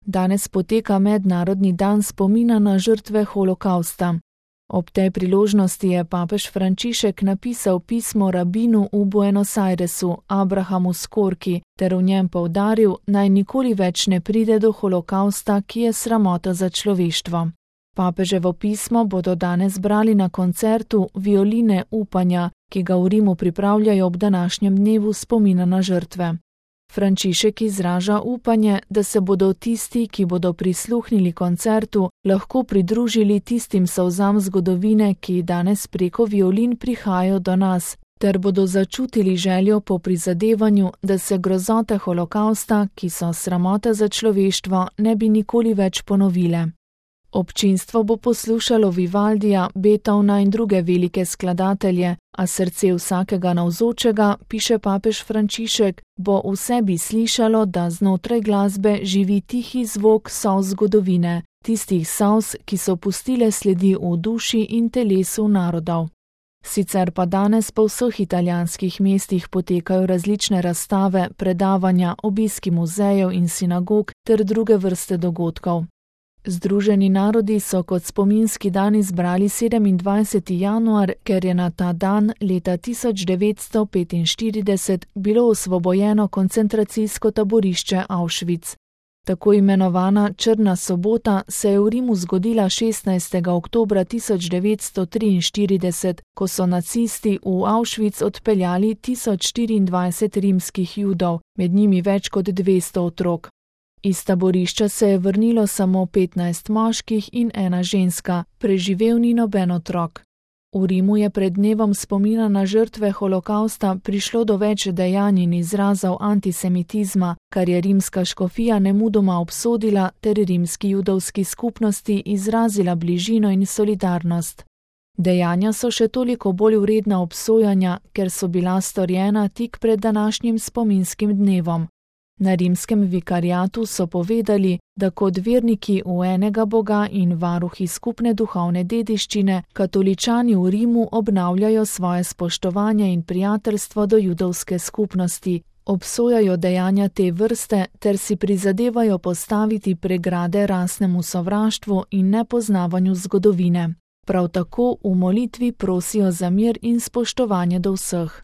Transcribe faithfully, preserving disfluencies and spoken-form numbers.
Danes poteka mednarodni dan spomina na žrtve holokavsta. Ob tej priložnosti je papež Frančišek napisal pismo rabinu v Buenos Airesu, Abrahamu Skorki, ter v njem poudaril, naj nikoli več ne pride do holokavsta, ki je sramota za človeštvo. Papeževo pismo bodo danes brali na koncertu Violine upanja, ki ga v Rimu pripravljajo ob današnjem dnevu spomina na žrtve. Frančišek izraža upanje, da se bodo tisti, ki bodo prisluhnili koncertu, lahko pridružili tistim solzam zgodovine, ki danes preko violin prihajajo do nas, ter bodo začutili željo po prizadevanju, da se grozote holokavsta, ki so sramota za človeštvo, ne bi nikoli več ponovile. Občinstvo bo poslušalo Vivaldija, Beethovna in druge velike skladatelje, a srce vsakega navzočega, piše papež Frančišek, bo v sebi slišalo, da znotraj glasbe živi tihi zvok solz zgodovine, tistih solz, ki so pustile sledi v duši in telesu narodov. Sicer pa danes po vseh italijanskih mestih potekajo različne razstave, predavanja, obiski muzejev in sinagog ter druge vrste dogodkov. Združeni narodi so kot spominski dan izbrali sedemindvajseti januar, ker je na ta dan leta tisoč devetsto petinštirideset bilo osvobojeno koncentracijsko taborišče Auschwitz. Tako imenovana Črna sobota se je v Rimu zgodila šestnajstega oktobra tisoč devetsto triinštirideset, ko so nacisti v Auschwitz odpeljali tisoč štiriindvajset rimskih Judov, med njimi več kot dvesto otrok. Iz taborišča se je vrnilo samo petnajst moških in ena ženska, preživel ni noben otrok. V Rimu je pred dnevom spomina na žrtve holokavsta prišlo do več dejanj in izrazov antisemitizma, kar je rimska škofija nemudoma obsodila ter rimski judovski skupnosti izrazila bližino in solidarnost. Dejanja so še toliko bolj vredna obsojanja, ker so bila storjena tik pred današnjim spominskim dnevom. Na rimskem vikariatu so povedali, da kot verniki v enega Boga in varuhi skupne duhovne dediščine, katoličani v Rimu obnavljajo svoje spoštovanje in prijateljstvo do judovske skupnosti, obsojajo dejanja te vrste ter si prizadevajo postaviti pregrade rasnemu sovraštvu in nepoznavanju zgodovine. Prav tako v molitvi prosijo za mir in spoštovanje do vseh.